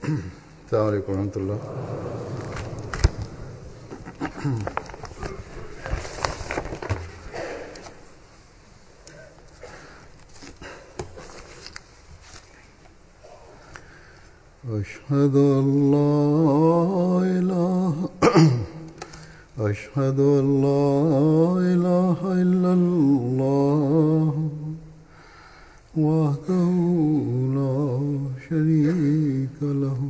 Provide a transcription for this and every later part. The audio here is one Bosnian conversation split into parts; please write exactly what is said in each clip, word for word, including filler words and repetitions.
السلام عليكم ورحمة الله. أشهد أن لا إله أشهد أن لا إله إلا الله وحده لا شريك له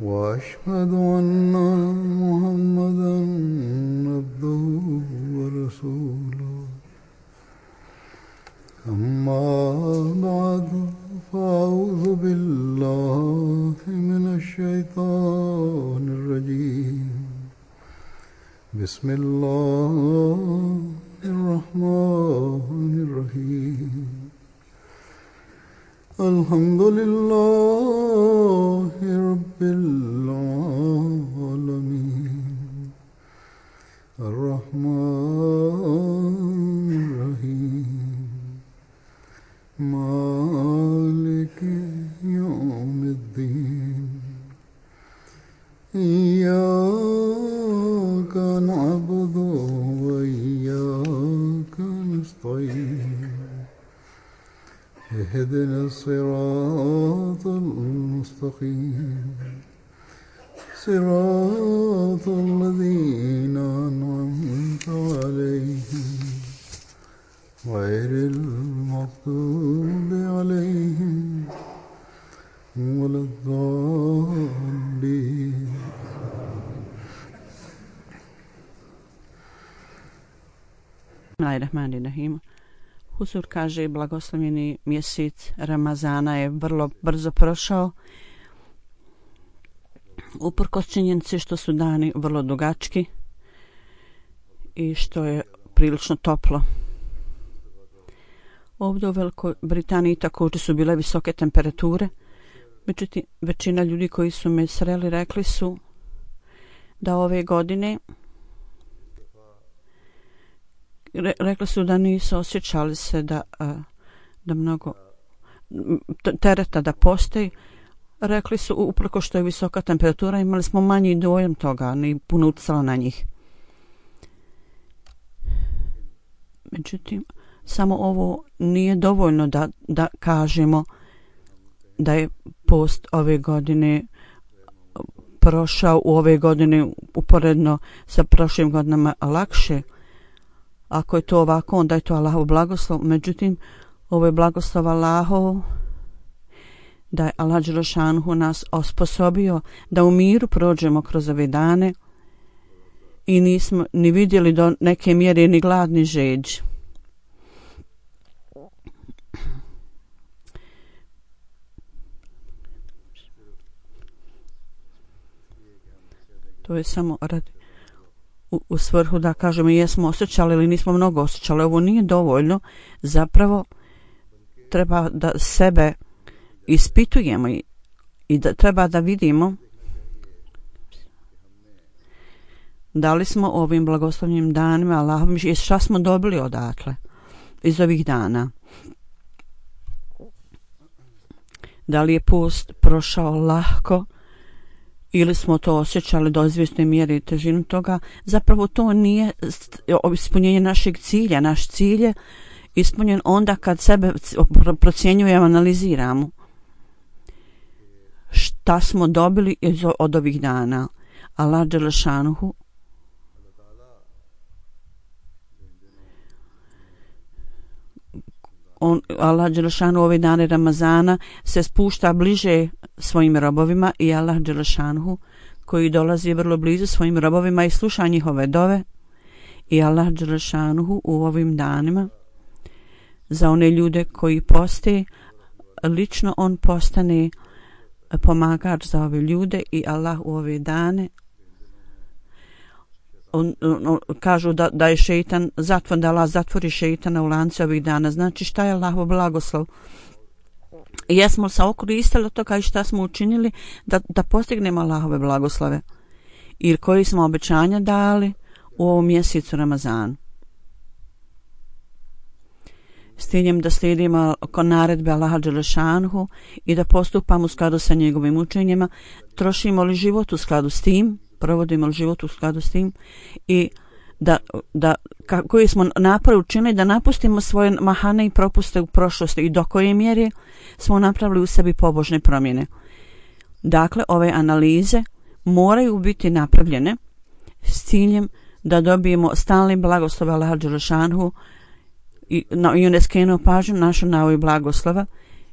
وأشهد أن محمدا عبده ورسوله أما بعد فأعوذ بالله من الشيطان الرجيم بسم الله الرحمن الرحيم الحمد لله رب العالمين الرحمن الرحيم مالك يوم الدين إياك نعبد وإياك نستعين اهدنا الصراط المستقيم صراط الذين أنعمت عليهم غير المغضوب عليهم ولا الضالين. Bismillahirrahmanirrahim. Huzur kaže, blagoslovljeni mjesec Ramazana je vrlo brzo prošao. Uprkos činjenici što su dani vrlo dugački i što je prilično toplo. Ovdje u Velikoj Britaniji također su bile visoke temperature. Međutim, većina ljudi koji su me sreli rekli su da ove godine re, rekli su da nisu osjećali se da, da mnogo tereta da postoji. Rekli su uprko što je visoka temperatura imali smo manji dojam toga, ni puno utjecalo na njih. Međutim, samo ovo nije dovoljno da, da kažemo da je post ove godine prošao u ove godine uporedno sa prošlim godinama lakše. Ako je to ovako, onda je to Allahov blagoslov. Međutim, ovo je blagoslov Allahov da je Allah dželešanuhu nas osposobio da u miru prođemo kroz ove dane i nismo ni vidjeli do neke mjere ni glad ni žeđ. To je samo radi u, u svrhu da kažemo jesmo osjećali ili nismo mnogo osjećali. Ovo nije dovoljno. Zapravo treba da sebe ispitujemo i, i da treba da vidimo da li smo ovim blagoslovnim danima Allahom i šta smo dobili odatle iz ovih dana. Da li je post prošao lahko ili smo to osjećali do izvjesne mjere i težinu toga. Zapravo to nije ispunjenje našeg cilja. Naš cilj je ispunjen onda kad sebe procjenjujemo, analiziramo šta smo dobili od ovih dana. Allah dželešanuhu On, Allah dželešanu ove dane Ramazana se spušta bliže svojim robovima i Allah dželešanu koji dolazi vrlo blizu svojim robovima i sluša njihove dove i Allah dželešanu u ovim danima za one ljude koji poste lično on postane pomagač za ove ljude i Allah u ove dane On, on, kažu da, da je šeitan zatvor, da Allah zatvori šeitana u lance ovih dana. Znači šta je Allahov blagoslov? Jesmo li se okoristili od toga i šta smo učinili da, da postignemo Allahove blagoslove? Ili koji smo obećanja dali u ovom mjesecu Ramazanu? s ciljem da slijedimo naredbe Allaha dželešanhu i da postupamo u skladu sa njegovim učenjima, trošimo li život u skladu s tim, provodimo li život u skladu s tim i da, da koji smo napor učinili da napustimo svoje mahane i propuste u prošlosti i do koje mjere smo napravili u sebi pobožne promjene. Dakle, ove analize moraju biti napravljene s ciljem da dobijemo stalni blagoslov Allaha dželešanhu i, na, i on je skrenuo pažnju našu na ovoj blagoslova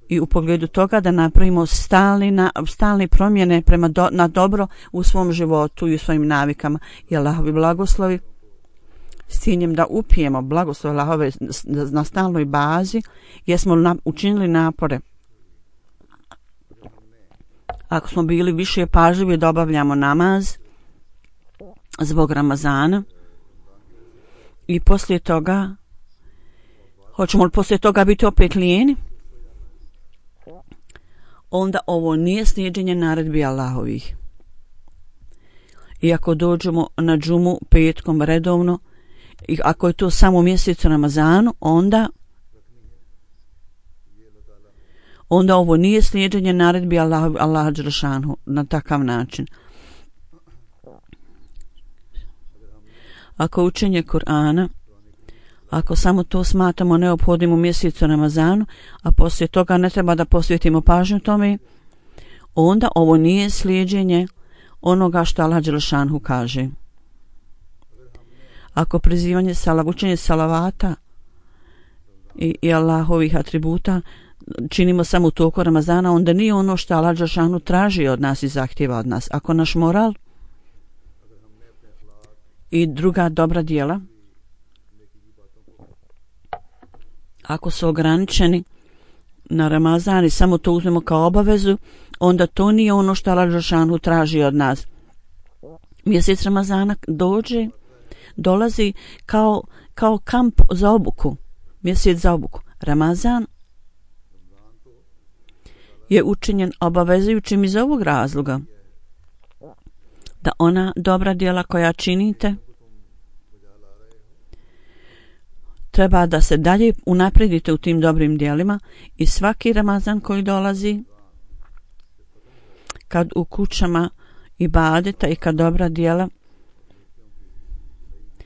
i u pogledu toga da napravimo stalni, na, stalni promjene prema do, na dobro u svom životu i u svojim navikama i Allahovi blagoslovi s ciljem da upijemo blagoslov Allahove na stalnoj bazi jer smo na, učinili napore. Ako smo bili više pažljivi da obavljamo namaz zbog Ramazana i poslije toga hoćemo li poslije toga biti opet lijeni, onda ovo nije slijeđenje naredbi Allahovih. I ako dođemo na džumu petkom redovno i ako je to samo mjesec Ramazanu, onda onda ovo nije slijeđenje naredbi Allah, Allaha dželešanhu na takav način. Ako učenje Kur'ana, ako samo to smatramo neophodnim u mjesecu Ramazanu, a poslije toga ne treba da posvetimo pažnju tome, onda ovo nije slijeđenje onoga što Allah dželešanhu kaže. Ako prizivanje salav, učenje salavata i, i Allahovih atributa činimo samo u toku Ramazana, onda nije ono što Allah dželešanhu traži od nas i zahtjeva od nas. Ako naš moral i druga dobra djela, ako su ograničeni na Ramazan i samo to uzmemo kao obavezu, onda to nije ono što Allah dželešanhu traži od nas. Mjesec Ramazana dođe, dolazi kao, kao kamp za obuku, mjesec za obuku. Ramazan je učinjen obavezujućim iz ovog razloga da ona dobra djela koja činite treba da se dalje unapredite u tim dobrim djelima i svaki Ramazan koji dolazi, kad u kućama ibadeta i kad dobra djela,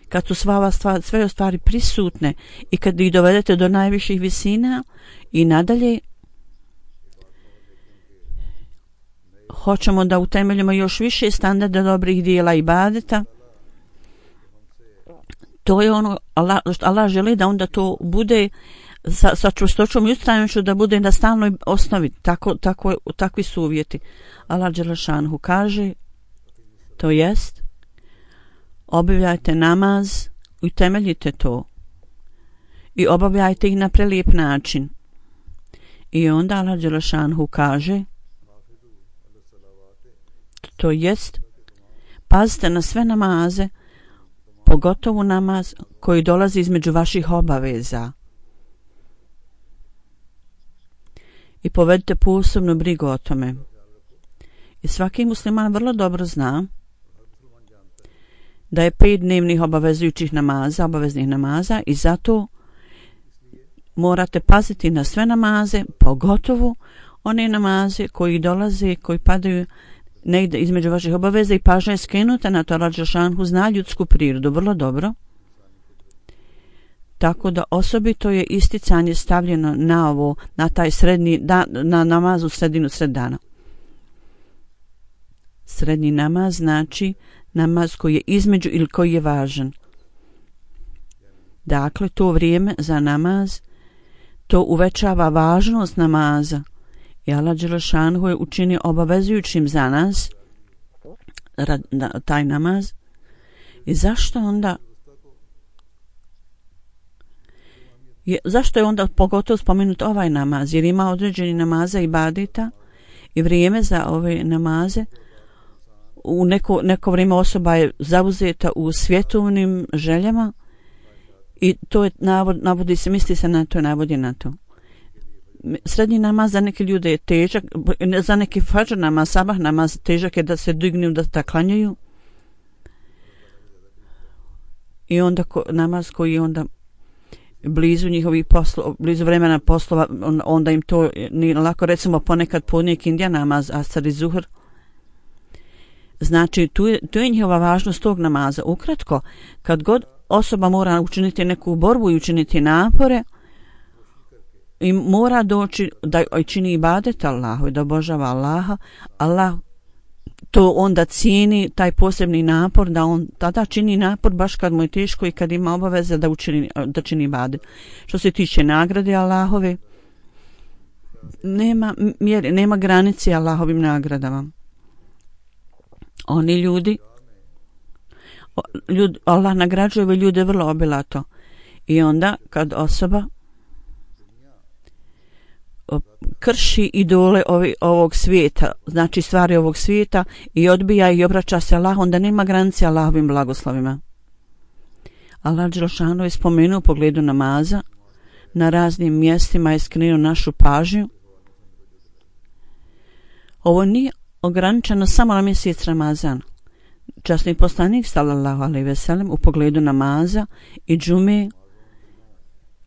kad su sva stvar, sve stvari prisutne i kad ih dovedete do najviših visina i nadalje, hoćemo da utemeljimo još više standarda dobrih djela ibadeta. To je ono, Allah, Allah želi da onda to bude sa, sa čvrstoćom i ustrajnošću da bude na stalnoj osnovi. Tako, tako, takvi su uvjeti. Allah dželešanhu kaže, to jest, obavljajte namaz i temeljite to i obavljajte ih na prelijep način. I onda Allah dželešanhu kaže, to jest, pazite na sve namaze, pogotovo namaz koji dolazi između vaših obaveza. I povedite posebnu brigu o tome. I svaki musliman vrlo dobro zna da je pet dnevnih obavezujućih namaza, obaveznih namaza i zato morate paziti na sve namaze, pogotovo one namaze koji dolaze, koji padaju negdje između vaših obaveza i pažnja je skrenuta na to. Allah dželešanhu zna ljudsku prirodu vrlo dobro, tako da osobito je isticanje stavljeno na ovo, na taj srednji da, na namazu sredinu sred dana. Srednji namaz znači namaz koji je između ili koji je važan. Dakle, to vrijeme za namaz, to uvećava važnost namaza. I Allah dželešanhu je učinio obavezujućim za nas rad, na, taj namaz. I zašto onda je, zašto je onda pogotovo spomenut ovaj namaz? Jer ima određeni namaza i ibadeta i vrijeme za ove namaze. U neko, neko vrijeme osoba je zauzeta u svjetovnim željama i to je navod, navodi se, misli se na to i navodi na to. Srednji namaz za neke ljude je težak, za neki fadžr namaz, sabah namaz težak je da se dignu, da, da klanjaju. I onda ko, namaz koji onda blizu njihovih poslova, blizu vremena poslova, onda im to nije lako. Recimo ponekad podne kindija namaz, asar i zuhr. Znači, tu je, tu je njihova važnost tog namaza. Ukratko, kad god osoba mora učiniti neku borbu i učiniti napore, i mora doći da čini ibadet Allahu i da obožava Allaha, Allah to onda cijeni taj posebni napor, da on tada čini napor baš kad mu je teško i kad ima obaveze da učini, da čini ibadet. Što se tiče nagrade Allahove, nema mjere, nema granice Allahovim nagradama. Oni ljudi, ljudi Allah nagrađuje ove ljude vrlo obilato. I onda kad osoba krši idole ovi, ovog svijeta, znači stvari ovog svijeta i odbija i obraća se Allah, onda nema granice Allahovim blagoslovima. Allah dželešanu je spomenuo u pogledu namaza, na raznim mjestima je skrenuo našu pažnju. Ovo nije ograničeno samo na mjesec Ramazan. Časni poslanik sallallahu alejhi ve sellem u pogledu namaza i džume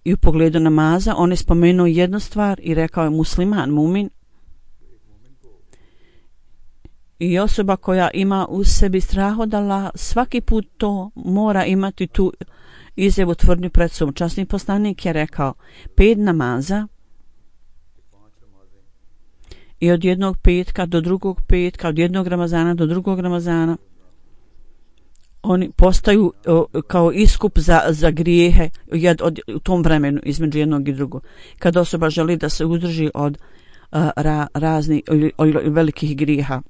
i u pogledu namaza on je spomenuo jednu stvar i rekao je musliman, mumin i osoba koja ima u sebi strah od Allaha svaki put to mora imati tu izjavu tvrdnju pred sobom. Časni poslanik je rekao pet namaza i od jednog petka do drugog petka, od jednog Ramazana do drugog Ramazana oni postaju o, kao iskup za, za grijehe jed, od, u tom vremenu između jednog i drugog. Kad osoba želi da se uzdrži od a, ra, raznih velikih grijeha.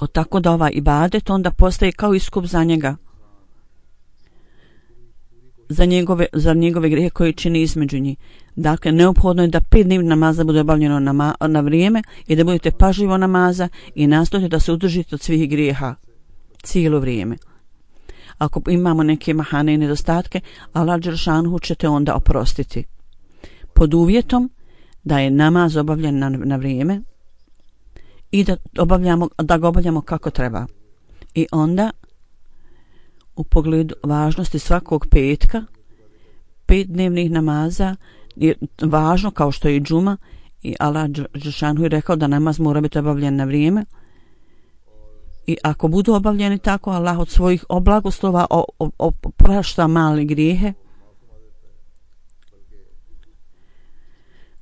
O, tako da ovaj ibadet onda postaje kao iskup za njega. Za njegove, za njegove grijehe koje čini između njih. Dakle, neophodno je da pet dnevnih namaza bude obavljeno na, na vrijeme i da budete pažljivo namaza i nastojite da se udržite od svih grijeha cijelo vrijeme. Ako imamo neke mahane i nedostatke, Allah dželešanu ćete onda oprostiti. Pod uvjetom da je namaz obavljen na, na vrijeme i da, obavljamo, da ga obavljamo kako treba. I onda u pogledu važnosti svakog petka, pet dnevnih namaza je važno kao što je i džuma i Allah dželešanu je rekao da namaz mora biti obavljen na vrijeme. I ako budu obavljeni tako, Allah od svojih oblagoslova oprašta male grijehe.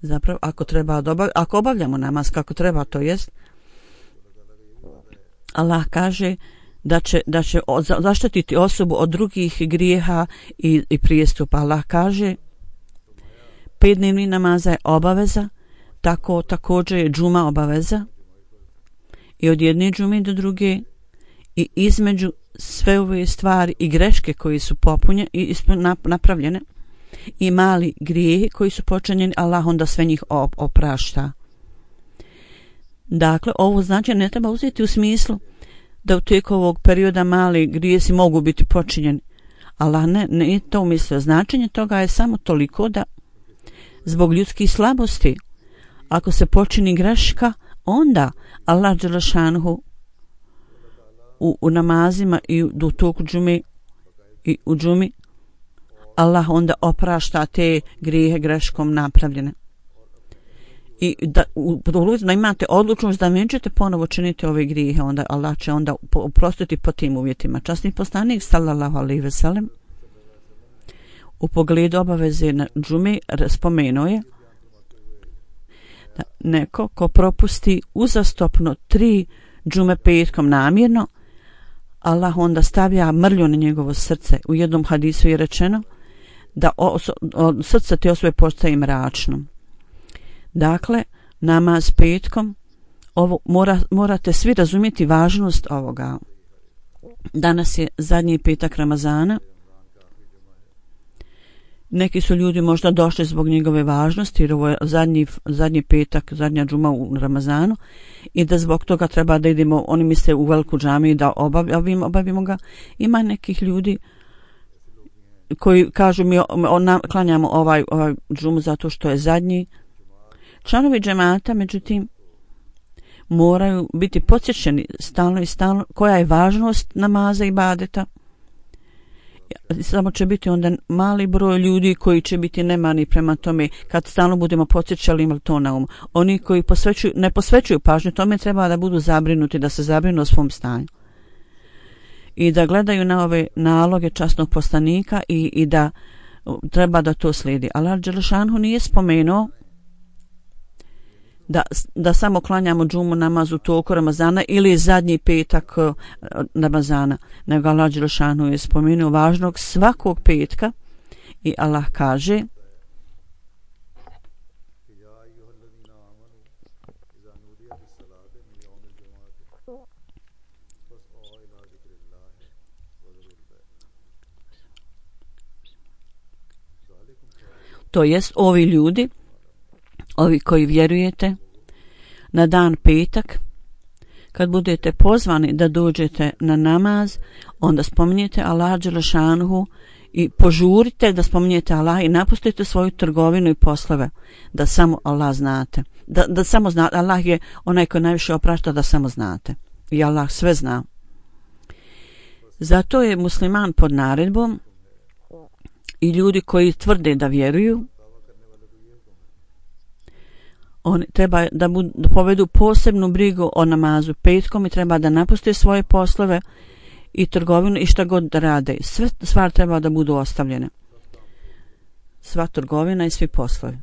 Zapravo, ako treba obav, ako obavljamo namaz kako treba, to jest, Allah kaže da će, da će zaštititi osobu od drugih grijeha i, i prijestupa. Allah kaže, pet dnevnih namaza je obaveza, tako također je džuma obaveza. I od jedne džume do druge i između sve ove stvari i greške koji su popunjene i napravljene i mali grijehi koji su počinjeni, Allah onda sve njih oprašta. Dakle, ovo znači ne treba uzeti u smislu da u tijeku ovog perioda mali grijesi mogu biti počinjeni. Allah ne, ne je to umislio. Značenje toga je samo toliko da zbog ljudskih slabosti ako se počini greška, onda Allah dželešanhu u, u namazima i u, u toku džume i u džumi Allah onda oprašta te grijehe greškom napravljene. I da, u, da imate odlučnost da nećete ponovo činiti ove grijehe, onda Allah će onda oprostiti po tim uvjetima. Časni poslanik sallallahu alejhi ve sellem u pogledu obaveze na džume spomenuo je da neko ko propusti uzastopno tri džume petkom namjerno, Allah onda stavlja mrlju na njegovo srce. U jednom hadisu je rečeno da oso, o, srce te osobe postaje mračno. Dakle, namaz petkom, ovo mora, morate svi razumjeti važnost ovoga. Danas je zadnji petak Ramazana. Neki su ljudi možda došli zbog njegove važnosti, jer ovo je zadnji, zadnji petak, zadnja džuma u Ramazanu i da zbog toga treba da idemo, oni misle u veliku džamiju da obavimo, obavimo ga. Ima nekih ljudi koji kažu mi on, klanjamo ovaj, ovaj džumu zato što je zadnji. Članovi džemata, međutim, moraju biti podsjećeni stalno i stalno koja je važnost namaza i ibadeta samo će biti onda mali broj ljudi koji će biti nemani prema tome kad stalno budemo podsjećali imali to na umu. Oni koji posvećuju, ne posvećuju pažnju tome treba da budu zabrinuti, da se zabrinu o svom stanju i da gledaju na ove naloge časnog poslanika i, i da treba da to slijedi. Allah dželešanu nije spomenuo da, da samo klanjamo džumu namaz u toku Ramazana ili zadnji petak Ramazana, nego Allah dželešanu je spomenuo važnog svakog petka i Allah kaže to jest ovi ljudi, ovi koji vjerujete, na dan petak, kad budete pozvani da dođete na namaz, onda spominjete Allah dželešanuhu i požurite da spominjete Allah i napustite svoju trgovinu i poslove, da samo Allah znate. Da, da samo znate, Allah je onaj koji najviše oprašta, da samo znate. I Allah sve zna. Zato je musliman pod naredbom i ljudi koji tvrde da vjeruju, oni treba da, budu, da povedu posebnu brigu o namazu petkom i treba da napuste svoje poslove i trgovinu i šta god da rade. Sve stvari treba da budu ostavljene. Sva trgovina i svi poslovi.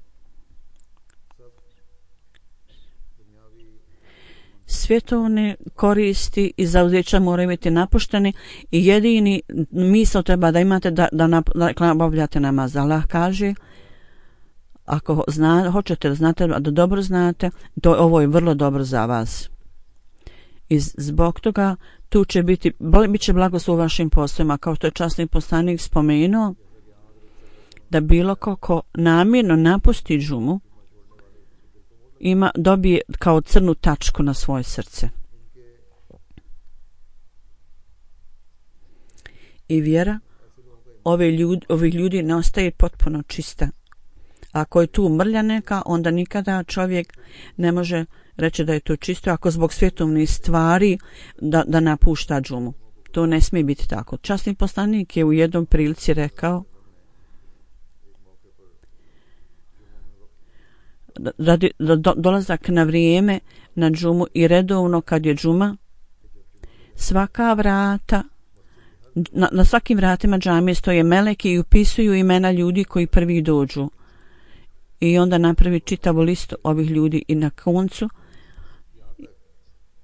Svjetovne koristi i zauzeća moraju biti napušteni i jedini misao treba da imate da, da, da obavljate namaz. Allah kaže, ako zna, hoćete da znate, da dobro znate, to ovo je vrlo dobro za vas. I zbog toga tu će biti, bit će blagoslov u vašim poslovima, kao što je časni poslanik spomenuo, da bilo ko, ko namjerno napusti džumu, ima, dobije kao crnu tačku na svoje srce. I vjera ove ljudi, ovih ljudi ne ostaje potpuno čista. Ako je tu mrlja neka, onda nikada čovjek ne može reći da je to čisto, ako zbog svjetovnih stvari da, da napušta džumu. To ne smije biti tako. Časni poslanik je u jednom prilici rekao da, da do, dolazak na vrijeme na džumu i redovno kad je džuma, svaka vrata, na, na svakim vratima džamije stoje meleki i upisuju imena ljudi koji prvi dođu. I onda napravi čitavu listu ovih ljudi i na koncu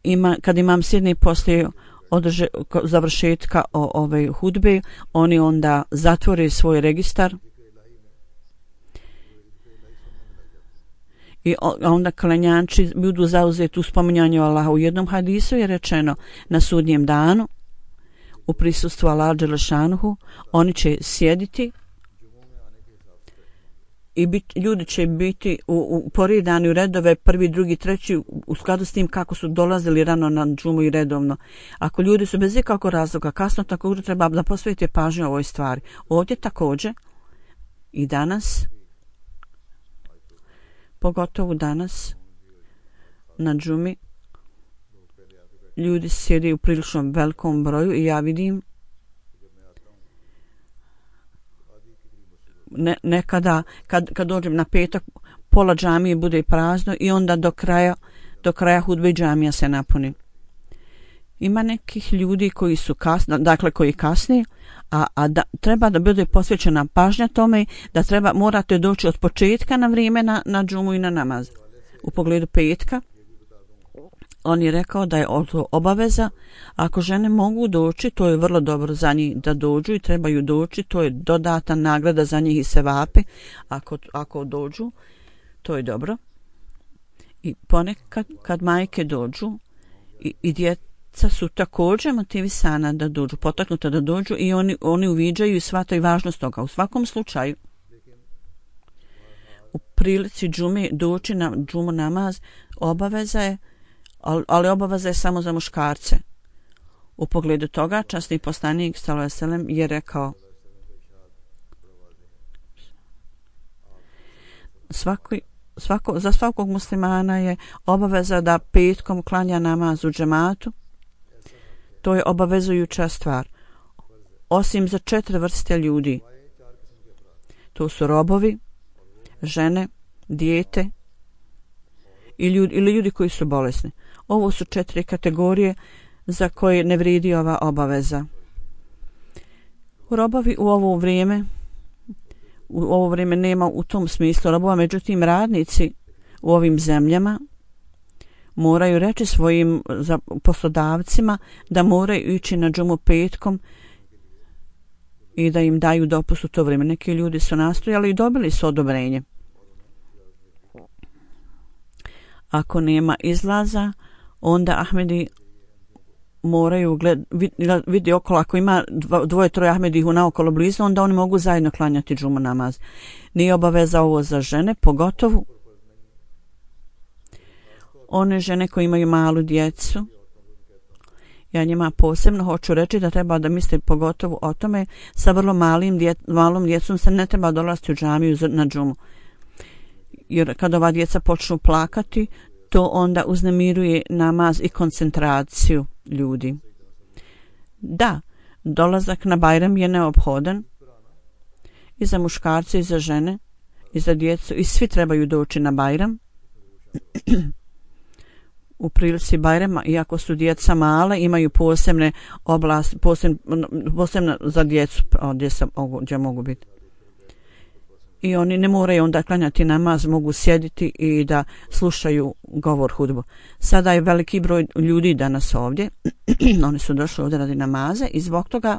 ima, kad imam sjedni poslije održe, završetka o, ove hudbe, oni onda zatvore svoj registar i onda klanjači budu zauzeti u spominjanju Allaha. U jednom hadisu je rečeno na sudnjem danu u prisustvu Allaha dželešanuhu oni će sjediti i bit, ljudi će biti u, u poredani u redove prvi, drugi, treći u skladu s tim kako su dolazili rano na džumu i redovno. Ako ljudi su bez ikakvog razloga kasno, također treba da posvetite pažnju ovoj stvari. Ovdje također i danas, pogotovo danas na džumi, ljudi sjede u prilično velikom broju i ja vidim Ne, nekada kad, kad dođem na petak pola džamije bude prazno i onda do kraja do kraja hudbe džamija se napuni. Ima nekih ljudi koji su kasni, dakle koji kasni, a, a da, treba da bude posvećena pažnja tome da treba morate doći od početka na vrijeme na, na džumu i na namaz. U pogledu petka on je rekao da je to obaveza. Ako žene mogu doći, to je vrlo dobro za njih da dođu i trebaju doći, to je dodatna nagrada za njih i sevape. Ako, ako dođu, to je dobro. I ponekad kad majke dođu i, i djeca su također motivisana da dođu, potaknuta da dođu i oni, oni uviđaju i shvataju važnost toga. U svakom slučaju, u prilici džume doći na džumu namaz obaveza je, ali obaveza je samo za muškarce. U pogledu toga časni poslanik sallallahu alejhi ve sellem je rekao svaki, svako, za svakog muslimana je obaveza da petkom klanja namaz u džematu. To je obavezujuća stvar. osim za četiri vrste ljudi. To su robovi, žene, dijete i ljudi, ili ljudi koji su bolesni. Ovo su četiri kategorije za koje ne vrijedi ova obaveza. Robovi u ovo vrijeme u ovo vrijeme nema u tom smislu robova, međutim radnici u ovim zemljama moraju reći svojim poslodavcima da moraju ići na džumu petkom i da im daju dopust u to vrijeme. Neki ljudi su nastojali i dobili su odobrenje. Ako nema izlaza, onda Ahmedi moraju gled, vid, vidi okolo, ako ima dvoje, troje Ahmedih naokolo blizu, onda oni mogu zajedno klanjati džumu namaz. Nije obaveza ovo za žene, pogotovo one žene koje imaju malu djecu. Ja njima posebno hoću reći da treba da misle pogotovo o tome, sa vrlo malim dje, malom djecom se ne treba dolaziti u džamiju na džumu. Jer kad ova djeca počnu plakati, to onda uznemiruje namaz i koncentraciju ljudi. Da, dolazak na Bajram je neophodan i za muškarce i za žene i za djecu i svi trebaju doći na Bajram. U prilici Bajrama, iako su djeca male, imaju posebne oblasti, posebne, posebne za djecu, gdje, sam, gdje mogu biti. I oni ne moraju onda klanjati namaz, mogu sjediti i da slušaju govor hudbu. Sada je veliki broj ljudi danas ovdje, oni su došli ovdje radi namaze i zbog toga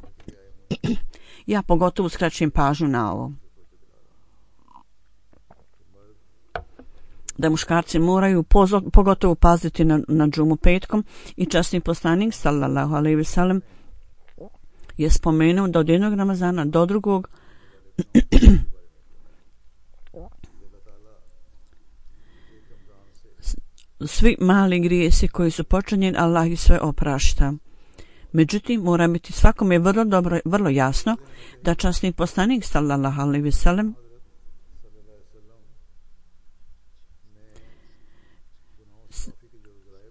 ja pogotovo skraćujem pažnju na ovo. Da muškarci moraju pozo, pogotovo paziti na, na džumu petkom i časni poslanik sallallahu alejhi ve sellem je spomenuo da od jednog Ramazana do drugog svi mali grijesi koji su počinjeni, Allah ih sve oprašta. Međutim, mora biti svakome vrlo dobro, vrlo jasno da časni poslanik sallallahu alejhi ve sellem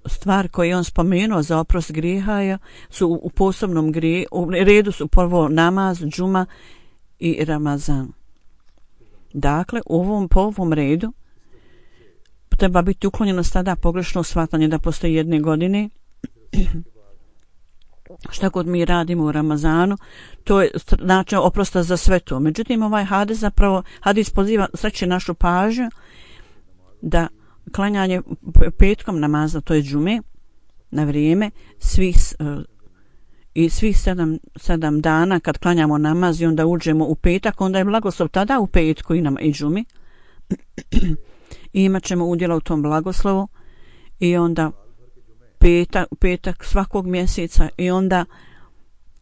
stvar koju je on spomenuo za oprost grijeha su u, u posebnom grije, u redu su prvo namaz, džuma i Ramazan. Dakle, u ovom, po ovom redu treba biti uklonjeno sada pogrešno shvatanje da postoji jedne godine. Šta god mi radimo u Ramazanu, to je način oprosta za sve to. Međutim, ovaj hadis zapravo, hadis poziva sreće našu pažnju da klanjanje petkom namaza, to je džume, na vrijeme, svih, i svih sedam, sedam dana kad klanjamo namaz i onda uđemo u petak, onda je blagoslov tada u petku i, nam, i džumi. I imat ćemo udjela u tom blagoslovu i onda petak, petak svakog mjeseca i onda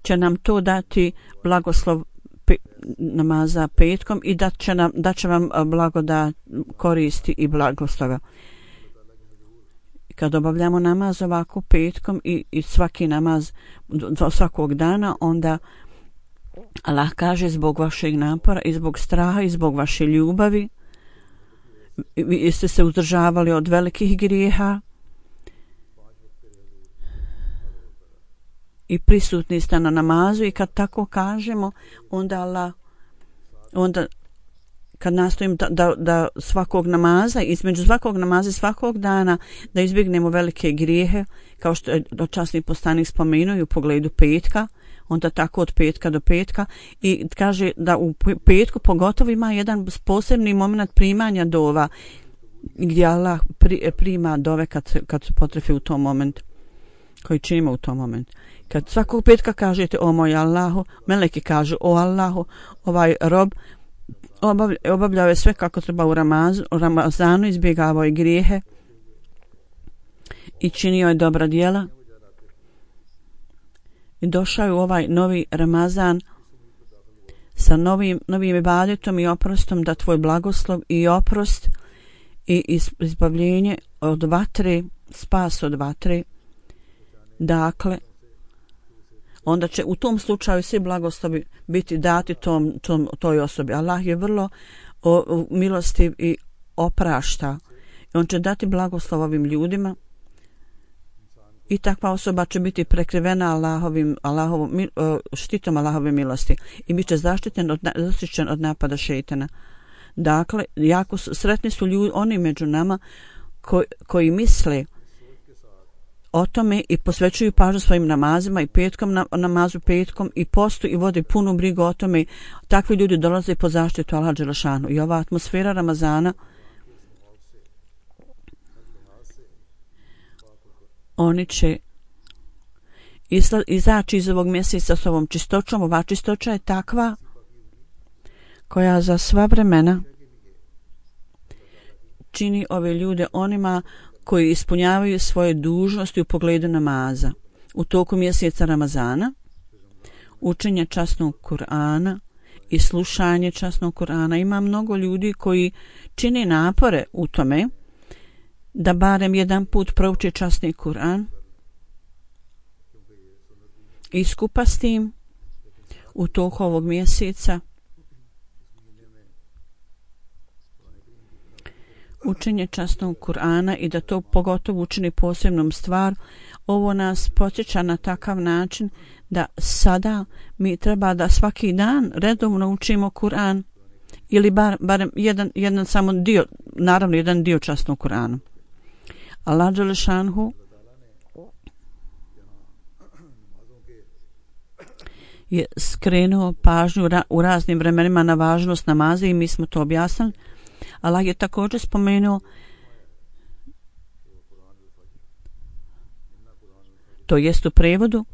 će nam to dati blagoslov pe, namaza petkom i dat će, nam, dat će vam blagodat koristi i blagoslova. Kad obavljamo namaz ovako petkom i, i svaki namaz do svakog dana, onda Allah kaže zbog vašeg napora i zbog straha i zbog vaše ljubavi vi ste se uzdržavali od velikih grijeha i prisutni ste na namazu i kad tako kažemo onda Allah, onda kad nastojim da, da, da svakog namaza, između svakog namaza i svakog dana da izbjegnemo velike grijehe, kao što je časni poslanik spomenuo u pogledu petka, onda tako od petka do petka i kaže da u petku pogotovo ima jedan posebni moment primanja dova gdje Allah pri, prima dove kad, kad se potrefi u tom momentu koji činimo u tom momentu. Kad svakog petka kažete o moj Allahu, meleki kažu o Allahu, ovaj rob obavljao je sve kako treba u Ramazanu, u Ramazanu izbjegavao je grijehe i činio je dobra djela. I došao je u ovaj novi Ramazan sa novim, novim ibadetom i oprostom da tvoj blagoslov i oprost i izbavljenje od vatre, spas od vatre. Dakle, onda će u tom slučaju svi blagoslovi biti dati tom, tom, toj osobi. Allah je vrlo o, o, milostiv i oprašta. I on će dati blagoslov ovim ljudima i takva osoba će biti prekrivena Allahovim, Allahovom, štitom Allahove milosti i bit će zaštićen od, zaštićen od napada šejtana. Dakle, jako su, sretni su ljudi, oni među nama koji, koji misle o tome i posvećuju pažnju svojim namazima i petkom na, namazu petkom i postu i vode punu brigu o tome. Takvi ljudi dolaze po zaštitu Allaha dželešanu i ova atmosfera Ramazana, oni će isla, izaći iz ovog mjeseca s ovom čistoćom. Ova čistoća je takva koja za sva vremena čini ove ljude onima koji ispunjavaju svoje dužnosti u pogledu namaza u toku mjeseca Ramazana, učenje časnog Kur'ana i slušanje časnog Kur'ana. Ima mnogo ljudi koji čini napore u tome da barem jedan put prouče časni Kur'an i skupa s tim u toku ovog mjeseca učenje časnog Kur'ana i da to pogotovo učini posebnom stvar. Ovo nas podsjeća na takav način da sada mi treba da svaki dan redovno učimo Kur'an ili bar, barem jedan, jedan samo dio, naravno jedan dio časnog Kur'ana. Allah dželešanhu je skrenuo pažnju ra, u raznim vremenima na važnost namaza i mi smo to objasnili. Allah je također spomenuo, to jest u prevodu,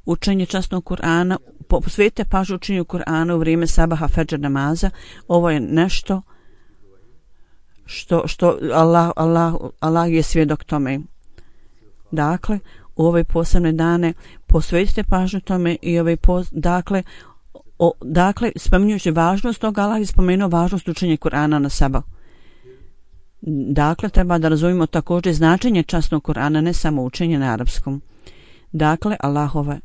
učenje časnog Kur'ana, posvetite pažnju učenju Kur'ana u vrijeme sabaha fedžer namaza. Ovo je nešto što, što Allah, Allah, Allah je svjedok tome. Dakle, u ove posebne dane posvetite pažnju tome i ove pos, dakle, O, dakle, spominjući važnost toga, Allah je spomenuo važnost učenja Kur'ana na sabah. Dakle, treba da razumijemo također značenje časnog Kur'ana, ne samo učenje na arapskom. Dakle, Allahove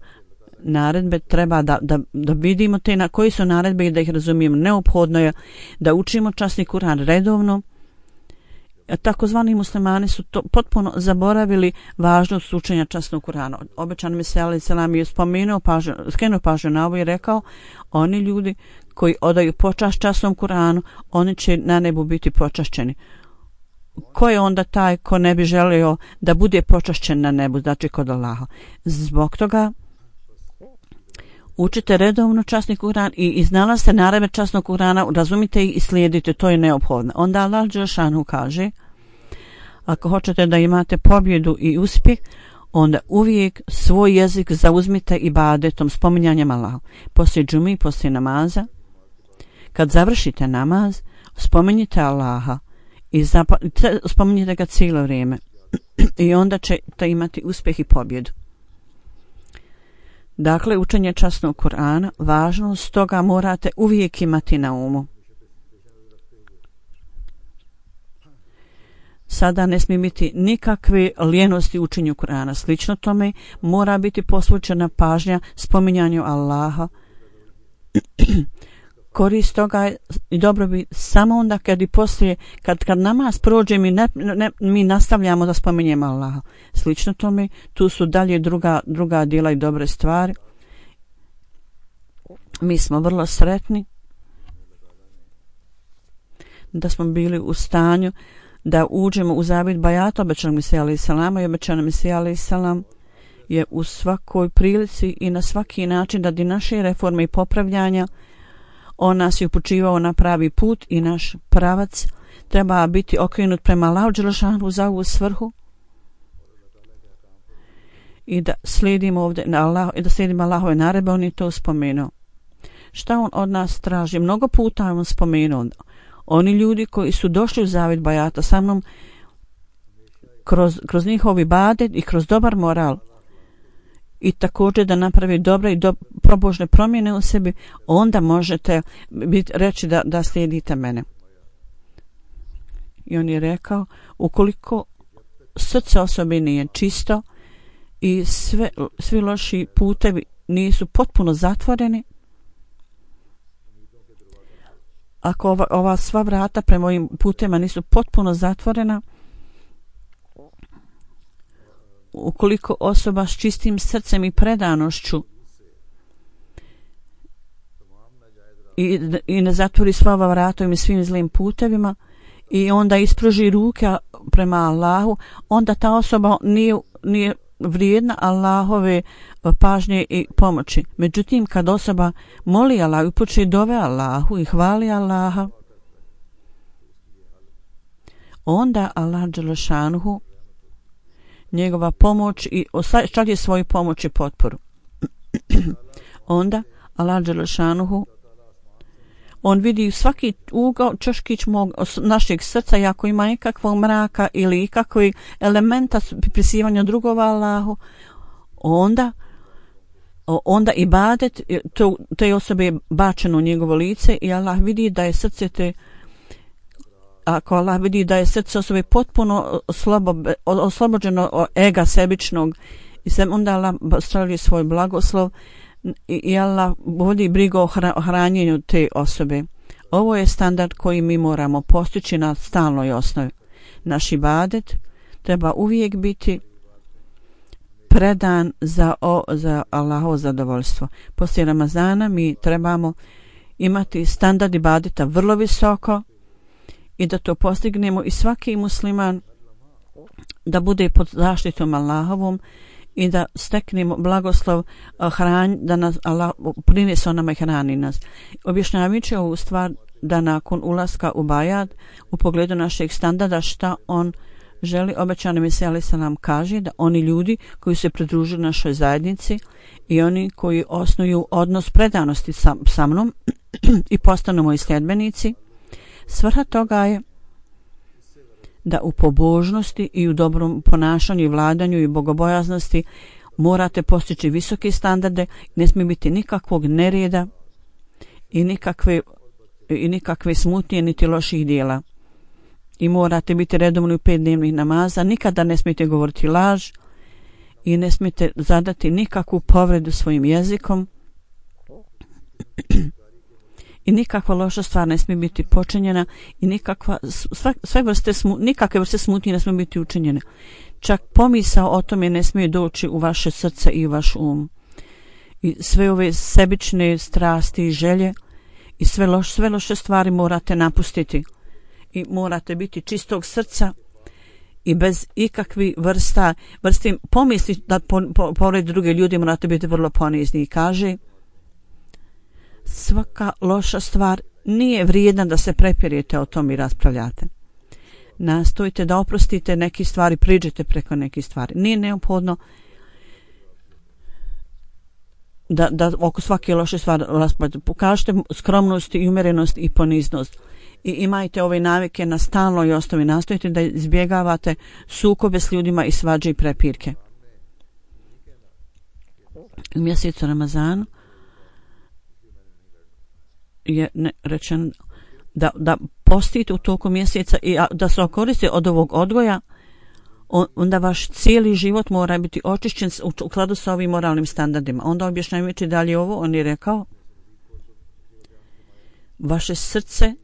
naredbe treba da, da, da vidimo te na koji su naredbe i da ih razumijemo. Neophodno je da učimo časni Kur'an redovno. Takozvani muslimani su to potpuno zaboravili važnost učenja časnog Kur'ana. Obećan Mesija alejhi selam je spomenuo pažnju, skrenuo pažnju na ovo i rekao, oni ljudi koji odaju počast časnom Kur'anu, oni će na nebu biti počašćeni. Ko je onda taj ko ne bi želio da bude počašćen na nebu, znači kod Allaha? Zbog toga učite redovno časni Kur'an i iznalazite naredbe časnog Kur'ana, razumite ih i slijedite, to je neophodno. Onda Allah dželešanu kaže, ako hoćete da imate pobjedu i uspjeh, onda uvijek svoj jezik zauzmite ibadetom, spominjanjem Allaha. Poslije džumi, poslije namaza, kad završite namaz, spominjite Allaha i zapa- spominjite ga cijelo vrijeme i onda ćete imati uspjeh i pobjedu. Dakle, učenje časnog Kur'ana, važnost toga morate uvijek imati na umu. Sada ne smije biti nikakve lijenosti u učenju Kur'ana. Slično tome mora biti posvećena pažnja spominjanju Allaha. Korist toga je i dobro bi samo onda kad i poslije, kad, kad namaz prođe mi, ne, ne, mi nastavljamo da spominjemo Allaha. Slično tome, tu su dalje druga, druga djela i dobre stvari. Mi smo vrlo sretni da smo bili u stanju da uđemo u zavjet bajata obećanog Mesija alejhi selam i obećanog Mesija alejhi selam je u svakoj prilici i na svaki način radi naše reforme i popravljanja. On nas je upućivao na pravi put i naš pravac treba biti okrenut prema Allahu dželešanu za ovu svrhu i da slijedimo ovdje na Allah, i da slijedimo Allahove naredbe. On je to spomenuo. Šta on od nas traži? Mnogo puta je on spomenuo. Oni ljudi koji su došli u zavjet bajata sa mnom kroz, kroz njihov ibadet i kroz dobar moral i također da napravi dobre i do, probožne promjene u sebi, onda možete biti, reći da, da slijedite mene. I on je rekao, ukoliko srce osobe nije čisto i sve, svi loši putevi nisu potpuno zatvoreni, ako ova, ova sva vrata prema ovim putema nisu potpuno zatvorena, ukoliko osoba s čistim srcem i predanošću i, i ne zatvori sva ova vratovima i svim zlim putevima i onda ispruži ruke prema Allahu, onda ta osoba nije, nije vrijedna Allahove pažnje i pomoći. Međutim, kad osoba moli Allahu, upući dove Allahu i hvali Allaha, onda Allah dželešanuhu njegova pomoć i šalje svoju pomoć i potporu. Onda Allah dželešanuhu on vidi svaki ugao čoškić mog našeg srca i ako ima nekakvog mraka ili ikakvog elementa pripisivanja drugova Allahu, onda onda ibadet to, te osobe je bačeno u njegovo lice i Allah vidi da je srce te ako Allah vidi da je srce osobe potpuno oslobo, oslobođeno od ega sebičnog i se onda Allah stavlja svoj blagoslov i, i Allah vodi brigu o hranjenju te osobe. Ovo je standard koji mi moramo postići na stalnoj osnovi. Naš ibadet treba uvijek biti predan za, o, za Allahovo zadovoljstvo. Poslije Ramazana mi trebamo imati standard ibadeta vrlo visoko i da to postignemo i svaki musliman da bude pod zaštitom Allahovom i da steknemo blagoslov hranj, da nas Allah prinese nama i hrani nas. Objašnjavajući ovu stvar da nakon ulaska u bajat u pogledu našeg standarda šta on želi, obećani Mesija alejhi selam kaže da oni ljudi koji se pridružuju našoj zajednici i oni koji osnuju odnos predanosti sa, sa mnom i postanu moji sljedbenici, svrha toga je da u pobožnosti i u dobrom ponašanju i vladanju i bogobojaznosti morate postići visoke standarde, ne smije biti nikakvog nereda i nikakve, i nikakve smutnje niti loših dijela. I morate biti redovni u pet dnevnih namaza, nikada ne smijete govoriti laž i ne smijete zadati nikakvu povredu svojim jezikom i nikakva loša stvar ne smije biti počinjena i nikakva, sve, sve vrste smu, nikakve vrste smutnje ne smije biti učinjene. Čak pomisao o tome ne smije doći u vaše srce i u vaš um. I sve ove sebične strasti i želje i sve, loš, sve loše stvari morate napustiti i morate biti čistog srca i bez ikakvih vrsta, vrsti pomisli da po, po, pored druge ljudi morate biti vrlo ponizni. I kaže, svaka loša stvar nije vrijedna da se prepirete o tom i raspravljate. Nastojite da oprostite neke stvari, priđete preko nekih stvari. Nije neophodno da, da oko svake loše stvari raspravljate. Pokažite skromnost i umjerenost i poniznost. I imajte ove navike na stalnoj osnovi. Nastojite da izbjegavate sukobe s ljudima i svađe i prepirke. U mjesecu Ramazanu je rečeno da, da postite u toku mjeseca i da se okoriste od ovog odgoja, onda vaš cijeli život mora biti očišćen u skladu sa ovim moralnim standardima. Onda objašnjavajući dalje ovo, on je rekao, vaše srce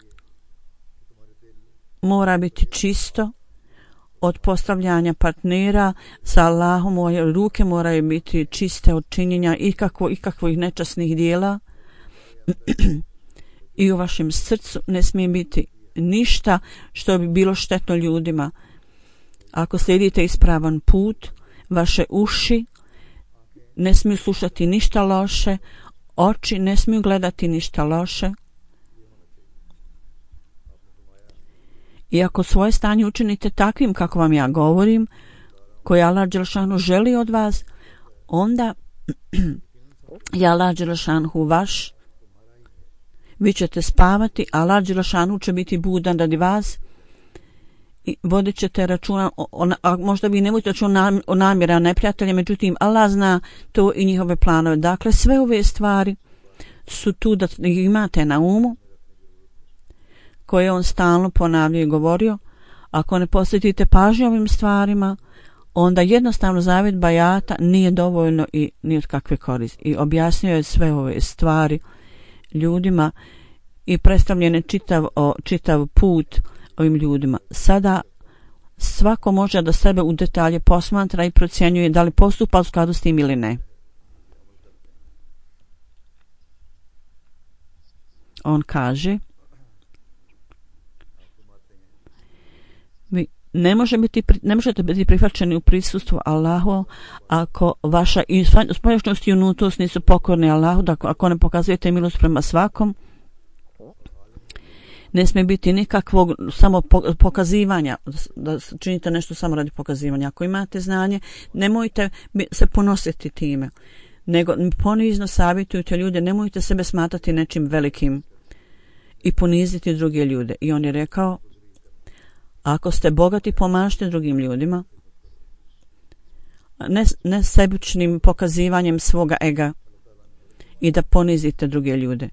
mora biti čisto od postavljanja partnera sa Allahom, moje ruke moraju biti čiste od činjenja ikakvo, ikakvih nečasnih dijela i u vašem srcu ne smije biti ništa što bi bilo štetno ljudima. Ako slijedite ispravan put, vaše uši ne smiju slušati ništa loše, oči ne smiju gledati ništa loše. I ako svoje stanje učinite takvim kako vam ja govorim, koje Allah dželešanu želi od vas, onda je Allah dželešanu vaš, vi ćete spavati, Allah dželešanu će biti budan radi vas i vodit ćete računa, o, o, a možda vi ne budete računa o namjera neprijatelja, međutim Allah zna to i njihove planove. Dakle, sve ove stvari su tu da imate na umu, koje on stalno ponavljao i govorio. Ako ne posjetite pažnju ovim stvarima, onda jednostavno zavjet bajata nije dovoljno i ni od kakve koristi. I objasnio je sve ove stvari ljudima i predstavljen je čitav, o, čitav put ovim ljudima. Sada svako može da sebe u detalje posmatra i procjenjuje da li postupa u skladu s tim ili ne. On kaže, vi ne, može biti, ne možete biti prihvaćeni u prisustvu Allahu ako vaša spoljašnjost i unutrost nisu pokorni Allahu, da ako ne pokazujete milost prema svakom. Ne smije biti nikakvog samo pokazivanja, da činite nešto samo radi pokazivanja. Ako imate znanje, nemojte se ponositi time, nego ponizno savjetujte ljude, nemojte sebe smatrati nečim velikim i poniziti druge ljude. I on je rekao, ako ste bogati, pomažite drugim ljudima, ne, ne sebičnim pokazivanjem svoga ega i da ponizite druge ljude.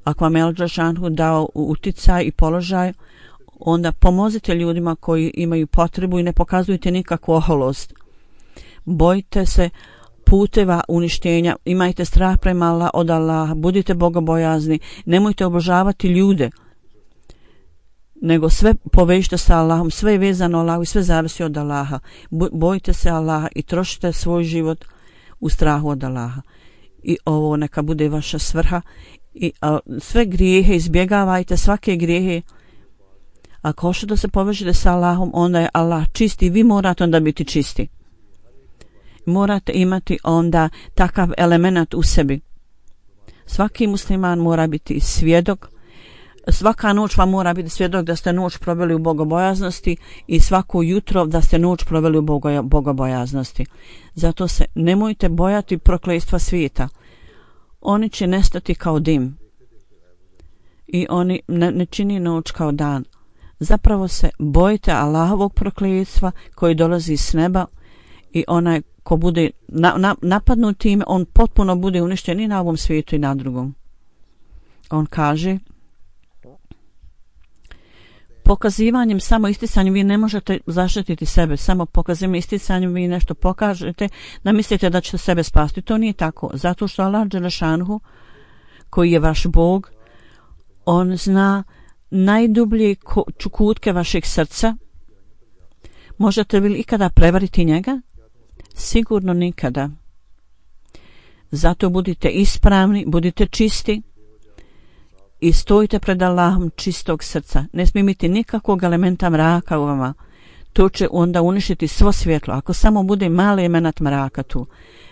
Ako vam je Al-Đelešanu dao uticaj i položaj, onda pomozite ljudima koji imaju potrebu i ne pokazujte nikakvu oholost. Bojite se puteva uništenja, imajte strah prema Allah, od Allaha, budite bogobojazni, nemojte obožavati ljude, nego sve povežite sa Allahom, sve je vezano Allahu i sve zavisi od Allaha. Bojite se Allaha i trošite svoj život u strahu od Allaha. I ovo neka bude vaša svrha. I a, sve grijehe izbjegavajte, svake grijehe. Ako hoćete da se povežete sa Allahom, onda je Allah čisti, vi morate onda biti čisti. Morate imati onda takav element u sebi. Svaki musliman mora biti svjedok. Svaka noć vam mora biti svjedok da ste noć proveli u bogobojaznosti i svako jutro da ste noć proveli u bogobojaznosti. Zato se nemojte bojati prokletstva svijeta. Oni će nestati kao dim i oni ne, ne čini noć kao dan. Zapravo se bojite Allahovog prokletstva koji dolazi s neba i onaj ko bude na, na, napadnut time, on potpuno bude uništen i na ovom svijetu i na drugom. On kaže, pokazivanjem, samo isticanjem vi ne možete zaštititi sebe, samo pokazivanjem, isticanjem vi nešto pokažete da mislite da ćete sebe spasti. To nije tako, zato što Allah Đelešanu, koji je vaš Bog, on zna najdublje kutke vašeg srca. Možete li ikada prevariti njega? Sigurno nikada. Zato budite ispravni, budite čisti i stojite pred Allahom čistog srca. Ne smije biti nikakvog elementa mraka u vama. To će onda uništiti svo svjetlo. Ako samo bude mali element mraka tu,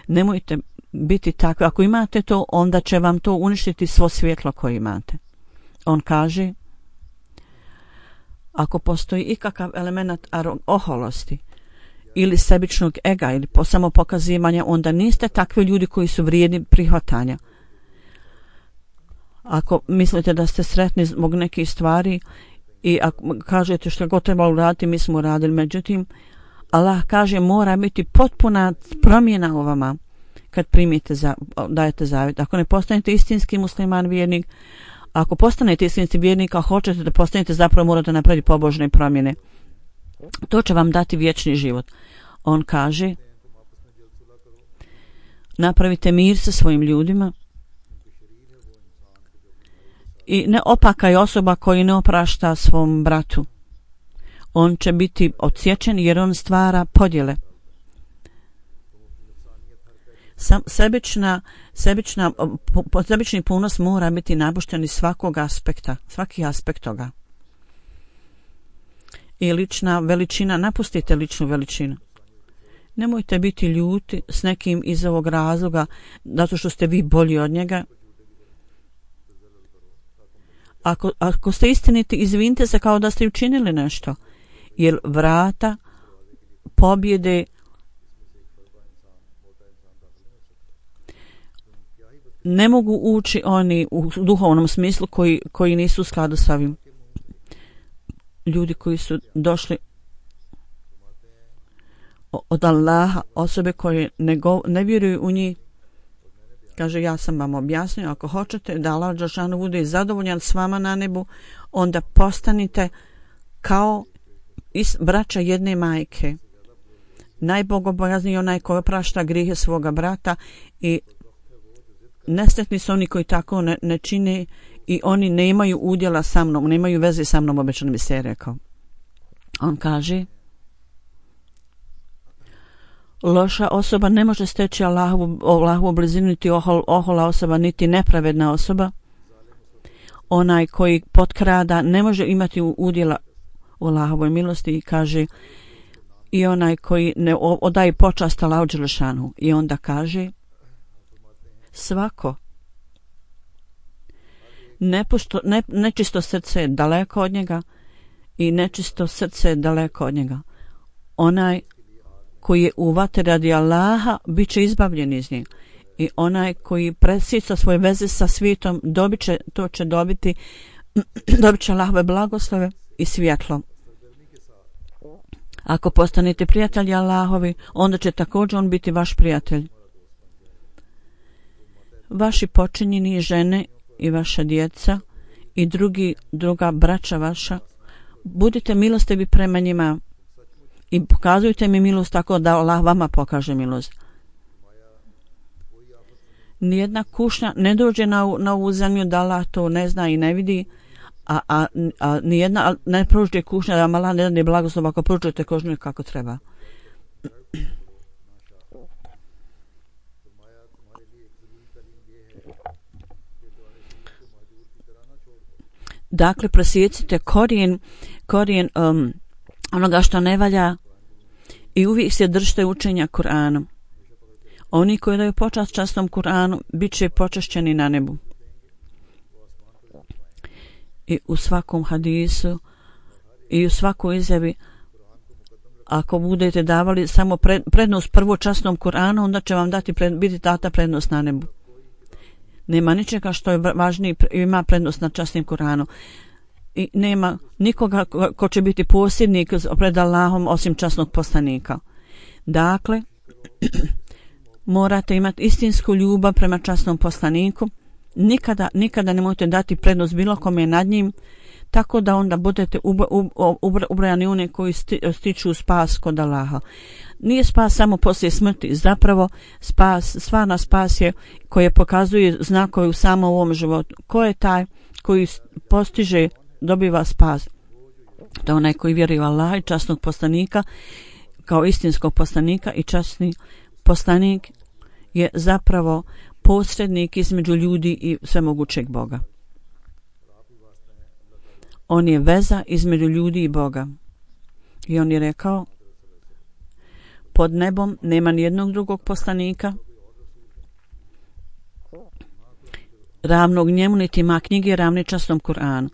nemojte biti takvi. Ako imate to, onda će vam to uništiti svo svjetlo koje imate. On kaže, ako postoji ikakav element oholosti ili sebičnog ega ili po samopokazivanja, onda niste takvi ljudi koji su vrijedni prihvatanja. Ako mislite da ste sretni zbog nekih stvari i ako kažete što god treba uraditi, mi smo uradili. Međutim, Allah kaže mora biti potpuna promjena u vama kad primite za, dajete zavjet. Ako ne postanete istinski musliman vjernik, ako postanete istinski vjernik, a hoćete da postanete, zapravo morate napraviti pobožne promjene. To će vam dati vječni život. On kaže, napravite mir sa svojim ljudima i ne opakaj osoba koji ne oprašta svom bratu. On će biti odsječen jer on stvara podjele. Sam, sebična, sebična, po, sebični ponos mora biti napušten iz svakog aspekta, svaki aspekt toga. I lična veličina, napustite ličnu veličinu. Nemojte biti ljuti s nekim iz ovog razloga, zato što ste vi bolji od njega. Ako, ako ste istiniti, izvinite se kao da ste učinili nešto, jer vrata pobjede ne mogu ući oni u duhovnom smislu koji, koji nisu u skladu sa ovim. Ljudi koji su došli od Allaha, osobe koje ne, go, ne vjeruju u njih, kaže, ja sam vam objasnio, ako hoćete da Allah Đelešanu bude zadovoljan s vama na nebu, onda postanite kao is, braća jedne majke. Najbogobojazniji onaj koji oprašta grijehe svoga brata i nesretni su oni koji tako ne, ne čine i oni ne imaju udjela sa mnom, ne imaju veze sa mnom, obećano bi se rekao. On kaže, Loša osoba ne može steći Allahovu, Allahovu blizinu, niti ohol, ohola osoba, niti nepravedna osoba. Onaj koji potkrada ne može imati udjela u Allahovoj milosti i kaže i onaj koji ne odaje počast Allahu dželešanu. I onda kaže svako nepušto, ne, nečisto srce je daleko od njega i nečisto srce je daleko od njega. Onaj koji je u vatri radi Allaha bit će izbavljen iz njega. I onaj koji presjeća svoje veze sa svijetom dobit će, to će dobiti dobit će Allahove blagoslove i svjetlo. Ako postanete prijatelji Allahovi, onda će također on biti vaš prijatelj. Vaši počinjeni žene i vaša djeca i drugi, druga braća vaša, budite milostivi prema njima i pokazujte mi milost tako da Allah vama pokaže milost. Nijedna kušnja ne dođe na, na ovu zemlju da Allah to ne zna i ne vidi, a, a, a nijedna ne pružuje kušnja da vam Allah ne da blagoslov ako pružujete kožnju kako treba. Dakle, prosjecite korijen, korijen um, onoga što ne valja i uvijek se držite učenja Kur'anom. Oni koji daju počast častom Kur'anu bit će počašćeni na nebu. I u svakom hadisu i u svakoj izjavi, ako budete davali samo pred, prednost prvo častom Kur'anu, onda će vam dati pred, biti data prednost na nebu. Nema ničega što je važniji, ima prednost na častim Kur'anu. I nema nikoga ko, ko će biti posljednik pred Allahom osim časnog poslanika. Dakle, morate imati istinsku ljubav prema časnom poslaniku. Nikada, nikada nemojte dati prednost bilo kome nad njim, tako da onda budete ubrojani one koji sti, stiču spas kod Allaha. Nije spas samo poslije smrti, zapravo spas, stvarna spas je koje pokazuje znakove u samom ovom životu. Ko je taj koji postiže, dobiva spas? To je onaj koji vjeruje u Allaha i časnog poslanika kao istinskog poslanika, i časni poslanik je zapravo posrednik između ljudi i svemogućeg Boga. On je veza između ljudi i Boga. I on je rekao, pod nebom nema nijednog drugog poslanika ravnog njemu, niti ima knjige ravne časnom Kur'anu.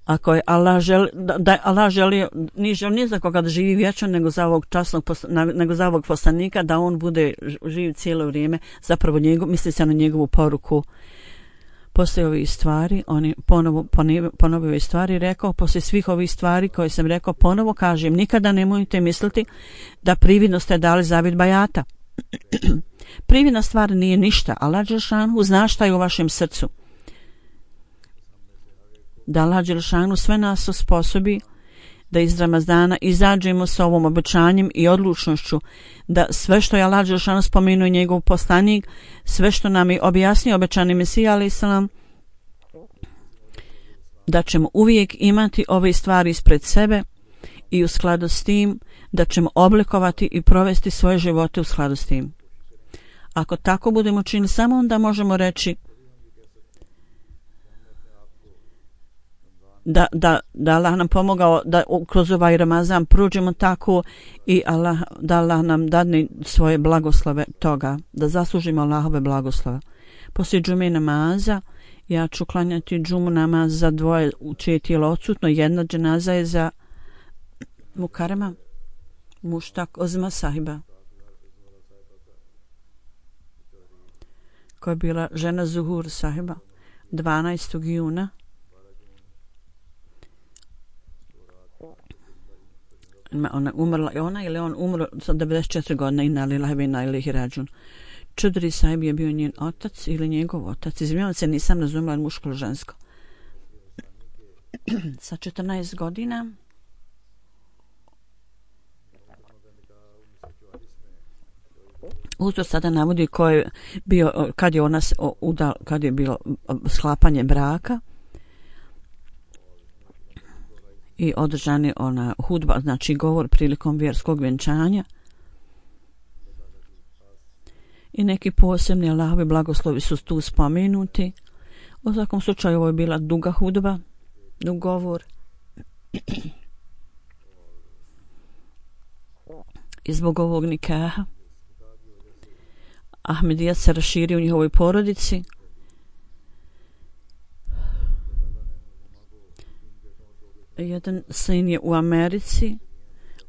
Ako je Allah želi, da, da Allah želi, nije želi ni za koga da živi vječno, nego za ovog časnog, nego za ovog poslanika, da on bude živ cijelo vrijeme, zapravo njegov, misli se na njegovu poruku. Poslije ovih stvari, on je ponovo ponovio ove stvari, rekao, poslije svih ovih stvari koje sam rekao, ponovo kažem, nikada nemojte misliti da prividno ste dali zavjet bajata. Prividna stvar nije ništa, Allah dželešanu zna šta je u vašem srcu. Da Allah dželešanu sve nas osposobi da iz Ramazana izađemo sa ovom obećanjem i odlučnošću, da sve što je Allah dželešanu spomenuo i njegov poslanik, sve što nam je objasnio obećani Mesija alejhi selam, da ćemo uvijek imati ove stvari ispred sebe i u skladu s tim da ćemo oblikovati i provesti svoje živote u skladu s tim. Ako tako budemo činili, samo onda možemo reći da, da, da Allah nam pomogao da kroz ovaj Ramazan prođemo tako i Allah, da Allah nam dadne svoje blagoslove toga, da zaslužimo Allahove blagoslove. Poslije džume namaza ja ću klanjati džumu namaz za dvoje čije tijelo odsutno. Jedna dženaza je za Mukarema Muštak Ozma sahiba, koja je bila žena Zuhur sahiba, dvanaestog juna ona umrla, ona ili on umro sa devedeset četiri godine, inna lillahi wa inna ilaihi rađun. Čudri sahib je bio njen otac ili njegov otac, izvinjavam se, nisam razumela muško ili žensko. Sa četrnaest godina uzor sada navodi ko je bio, kad je ona udal, kad je bilo sklapanje braka, i održan je ona hudba, znači govor prilikom vjerskog vjenčanja. I neki posebni Allahovi blagoslovi su tu spomenuti. U svakom slučaju ovo je bila duga hudba, dug govor. I zbog ovog nikaha Ahmedijat se raširio u njihovoj porodici. Jedan sin je u Americi,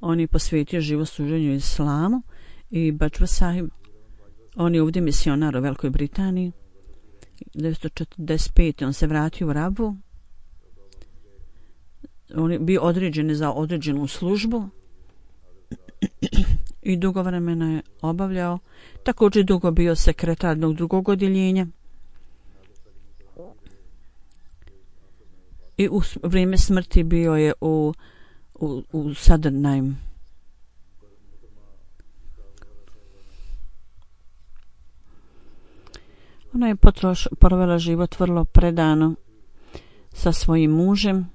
on je posvetio život služenju islamu, i Bajwa Sahib, on je ovdje misionar u Velikoj Britaniji. devetsto četrdeset pete on se vratio u Rabu. On je bio određen za određenu službu i dugo vremena je obavljao. Također dugo bio sekretar jednog drugog odjeljenja. I u vrijeme smrti bio je u, u, u Southernheim. Ona je potroš, provela život vrlo predano sa svojim mužem.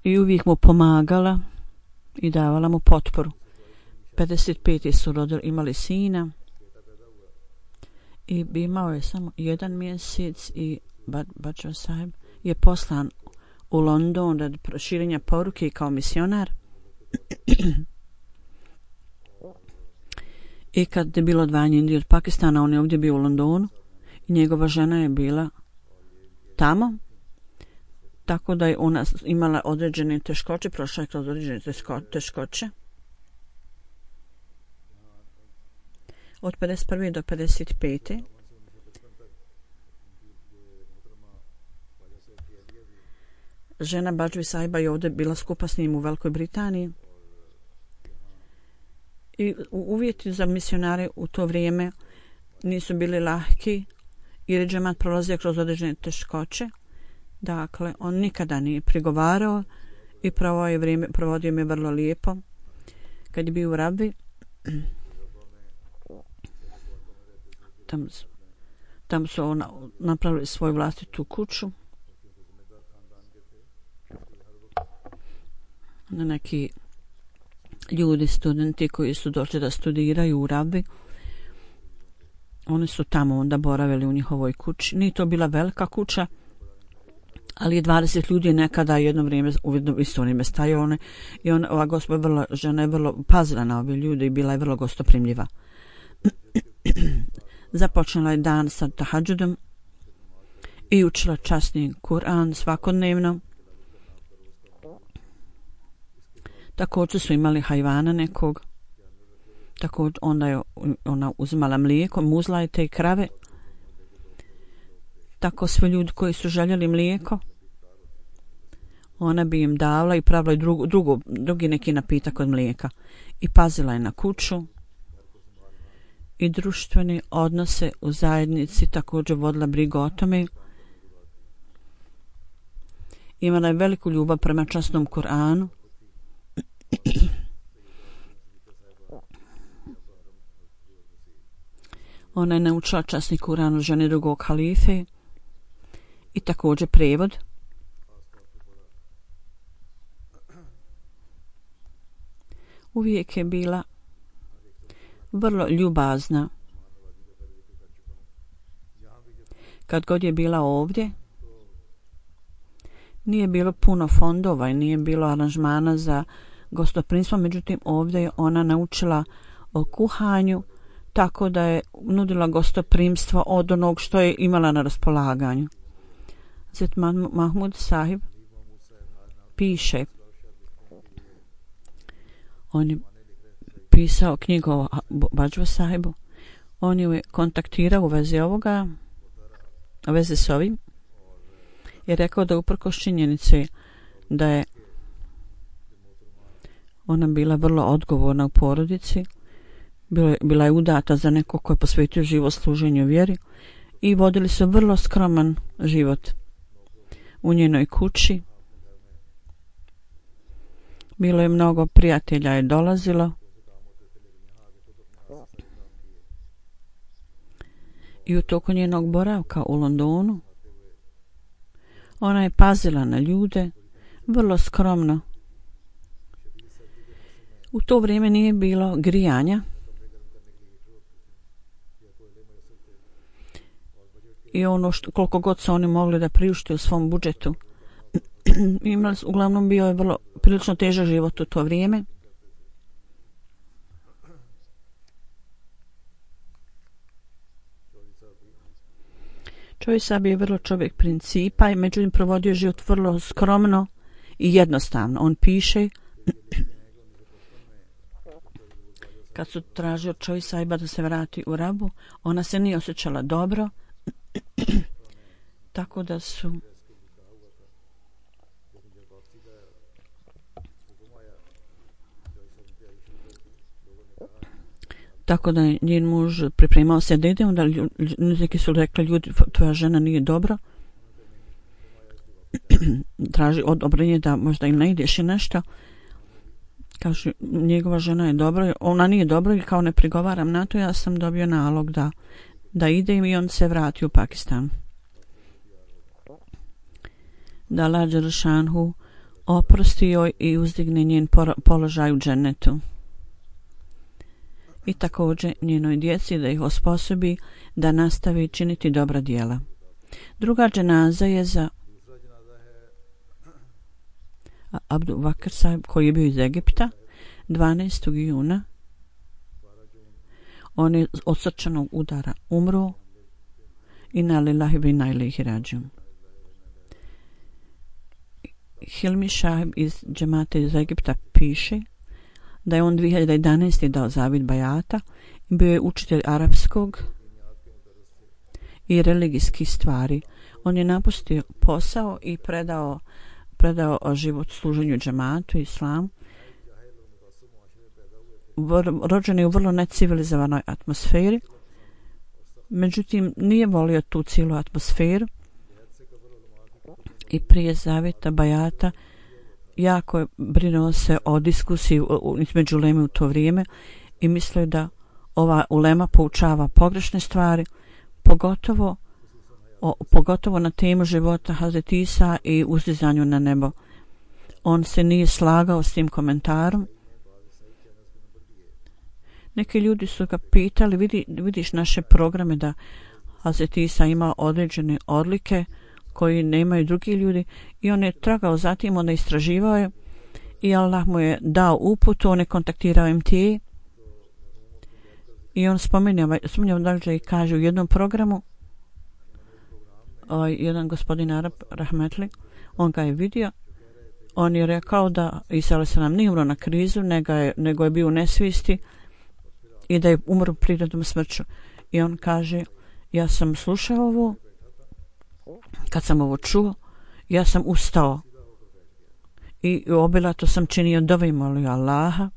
I uvijek mu pomagala i davala mu potporu. pedeset pete su rodili, imali sina. I imao je samo jedan mjesec i Bajwa Sahib je poslan u London radi proširenja poruke kao misionar. I kad je bilo odvajanje Indije od Pakistana, on je ovdje bio u Londonu i njegova žena je bila tamo. Tako da je ona imala određene teškoće, prošla je kroz određene teškoće. Od pedeset prve do pedeset pete žena Bajwa Sahiba je ovdje bila skupa s njim u Velikoj Britaniji. I uvjeti za misionare u to vrijeme nisu bili lahki jer je džemat prolazio kroz određene teškoće. Dakle, on nikada nije prigovarao i pravo je vrijeme, provodio me vrlo lijepo. Kad je bio u Rabi, tam, tam su ona, napravili svoju vlastitu kuću. Na neki ljudi, studenti koji su došli da studiraju u Rabi, oni su tamo onda boravili u njihovoj kući. Nije to bila velika kuća, ali je dvadeset ljudi nekada jedno vrijeme u isto vrijeme stajao one, i on, ova gospođa vrlo, žena je vrlo pazila na ove ljude i bila je vrlo gostoprimljiva. Započela je dan sa tahadžudom i učila časni Kur'an svakodnevno. Također su imali hajvana nekog. Također onda je ona uzimala mlijeko, muzla je te krave. Tako svi ljudi koji su željeli mlijeko, ona bi im davala i pravila drugu, drugu, drugi neki napitak od mlijeka. I pazila je na kuću i društvene odnose u zajednici, također vodila brigu o tome. Imala je veliku ljubav prema časnom Kur'anu. Ona je naučila časni Kur'an od žene drugog halife i također prevod. Uvijek je bila vrlo ljubazna. Kad god je bila ovdje, nije bilo puno fondova i nije bilo aranžmana za gostoprimstvo, međutim ovdje je ona naučila o kuhanju, tako da je nudila gostoprimstvo od onog što je imala na raspolaganju. Zet Mahmud Sahib piše, on je pisao knjigu o Bajwa Sahibu, on je kontaktirao u vezi ovoga, u vezi s ovim, i rekao da uprkos činjenice da je ona bila vrlo odgovorna u porodici, bila, bila je udata za neko ko je posvetio život služenju vjeri i vodili su vrlo skroman život u njenoj kući. Bilo je mnogo prijatelja je dolazilo I u toku njenog boravka u Londonu ona je pazila na ljude vrlo skromno. U to vrijeme nije bilo grijanja i ono što, koliko god su oni mogli da priušte u svom budžetu. Imali, uglavnom bio je vrlo prilično težak život u to vrijeme. Čovjek sad je vrlo čovjek principa i međutim provodio život vrlo skromno i jednostavno. On piše kad su tražio čovjek sajba da se vrati u Rabu, ona se nije osjećala dobro, tako da su tako da njen muž pripremao se da ide, onda neki su rekli ljudi, tvoja žena nije dobro, traži odobrenje da možda im ne ideš i nešto. Kaže, njegova žena je dobro, ona nije dobro i kao ne prigovaram na to, ja sam dobio nalog da, da idem i on se vrati u Pakistan. Da Allah Đelešanhu oprosti joj i uzdigne njen položaj u džennetu. I također njenoj djeci da ih osposobi da nastavi činiti dobra djela. Druga dženaza je za Abdu Vakr Sahib koji je bio iz Egipta dvanaestog juna. On je od srčanog udara umro. Inna lillahi wa inna ilaihi rađiun. Hilmi Šahib iz džemata iz Egipta piše da je on dvije hiljade jedanaeste. dao zavid bajata i bio je učitelj arapskog i religijskih stvari. On je napustio posao i predao predao život služenju džematu i islamu. Rođen je u vrlo necivilizovanoj atmosferi, međutim nije volio tu cijelu atmosferu i prije zavjeta bajata jako je brinuo se o diskusiji između uleme u to vrijeme i mislio da ova ulema poučava pogrešne stvari, pogotovo O, pogotovo na temu života Hazreti Isa i uzdizanju na nebo. On se nije slagao s tim komentarom. Neki ljudi su ga pitali, vidi, vidiš naše programe da Hazreti Isa ima određene odlike koji nemaju drugi ljudi i on je tragao zatim, on je istraživao je i Allah mu je dao uputu, on je kontaktirao M T A i on spominjao, spominjao dakle i kaže u jednom programu ovaj, jedan gospodin Arab Rahmetli, on ga je vidio, on je rekao da Isa alejhi selam nije umro na krizu, nego je, nego je bio u nesvisti i da je umro prirodnom smrću. I on kaže, ja sam slušao ovo, kad sam ovo čuo, ja sam ustao i obilato sam činio dove i molio Allaha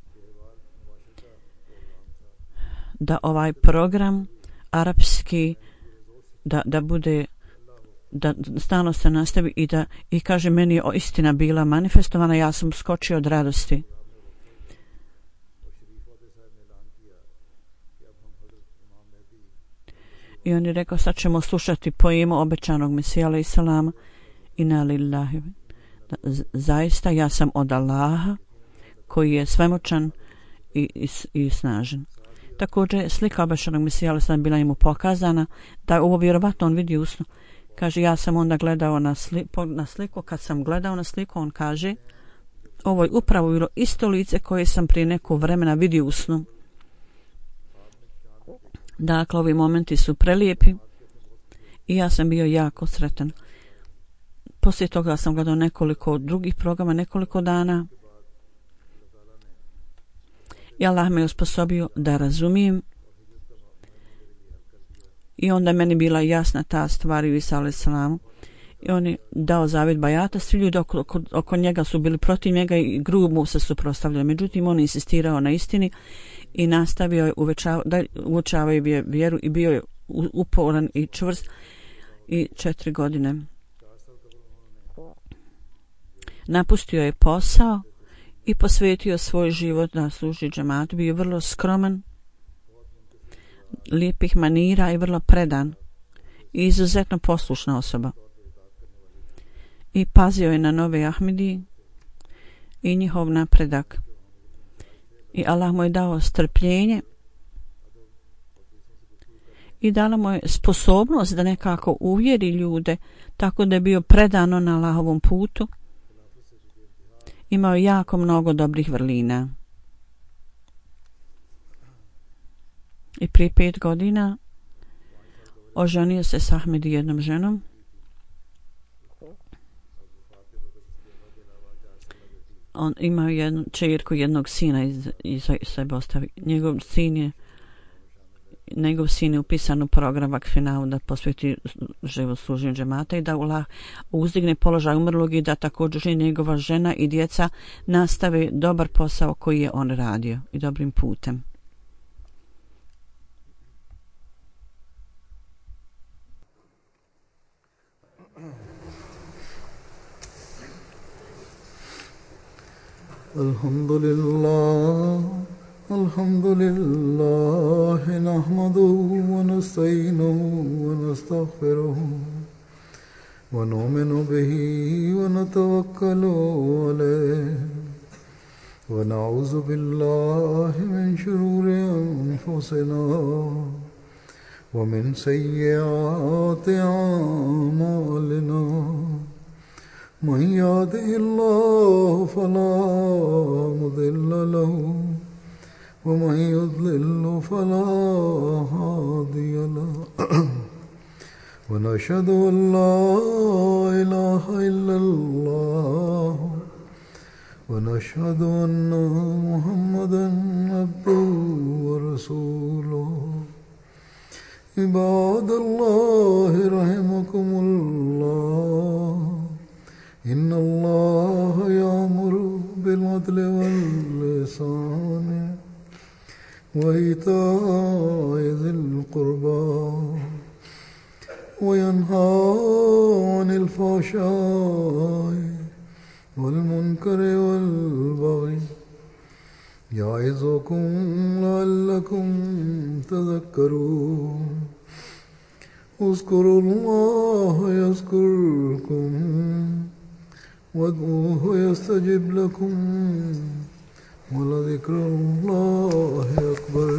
da ovaj program arapski da, da bude da stalno se nastavi i da i kaže meni je istina bila manifestovana, ja sam skočio od radosti. I on je rekao, sad ćemo slušati poemu obećanog Mesija alejhi selam, inna lillahi. Zaista ja sam od Allaha koji je svemoćan i, i, i snažan. Također slika obećanog Mesija alejhi selam bila mu pokazana, da ovo vjerovatno on vidi usno. Kaže, ja sam onda gledao na, sli, na sliku, kad sam gledao na sliku, on kaže, ovo je upravo bilo isto lice koje sam prije nekog vremena vidio u snu. Dakle, ovi momenti su prelijepi i ja sam bio jako sretan. Poslije toga sam gledao nekoliko drugih programa, nekoliko dana i Allah me osposobio da razumijem. I onda meni bila jasna ta stvar u Isa alejhi selamu. I on je dao zavjet bajata. Svi ljudi oko, oko, oko njega su bili protiv njega i grubo se suprotstavljali. Međutim, on je insistirao na istini i nastavio je uvečava, da uočavao je vjeru i bio je uporan i čvrst i četiri godine. Napustio je posao i posvetio svoj život da služi džematu. Bio vrlo skroman, lijepih manira i vrlo predan. i izuzetno poslušna osoba. I pazio je na nove Ahmedi i njihov napredak. I Allah mu je dao strpljenje i dala mu je sposobnost da nekako uvjeri ljude, tako da je bio predano na Allahovom putu. Imao jako mnogo dobrih vrlina. I prije pet godina oženio se s Ahmedi jednom ženom. On imao jednu čerku, jednog sina iz, iz sebe ostavi. Njegov sin je njegov sin je upisan u program Vakfina da posveti život služenju džemata i da Allah uzdigne položaj umrlog i da također njegova žena i djeca nastave dobar posao koji je on radio i dobrim putem. Alhamdulillah, alhamdulillah, nahmaduhu wa nasta'inuhu wa nastaghfiruhu wa nu'minu bihi wa natawakkalu alayhi wa na'udhu billahi min shururi anfusina wa min sayyiati a'malina. من يهده الله فلا مضل له ومن يضلل فلا هادي له ونشهد أن لا إله إلا الله ونشهد أن محمدا عبده ورسوله عباد الله رحمكم الله إن الله يأمر بالعدل والإحسان وإيتاء ذي القربى وينهى عن الفحشاء والمنكر والبغي يعظكم لعلكم تذكرون اذكروا الله يذكركم وادعوه يستجب لكم ولذكر الله أكبر.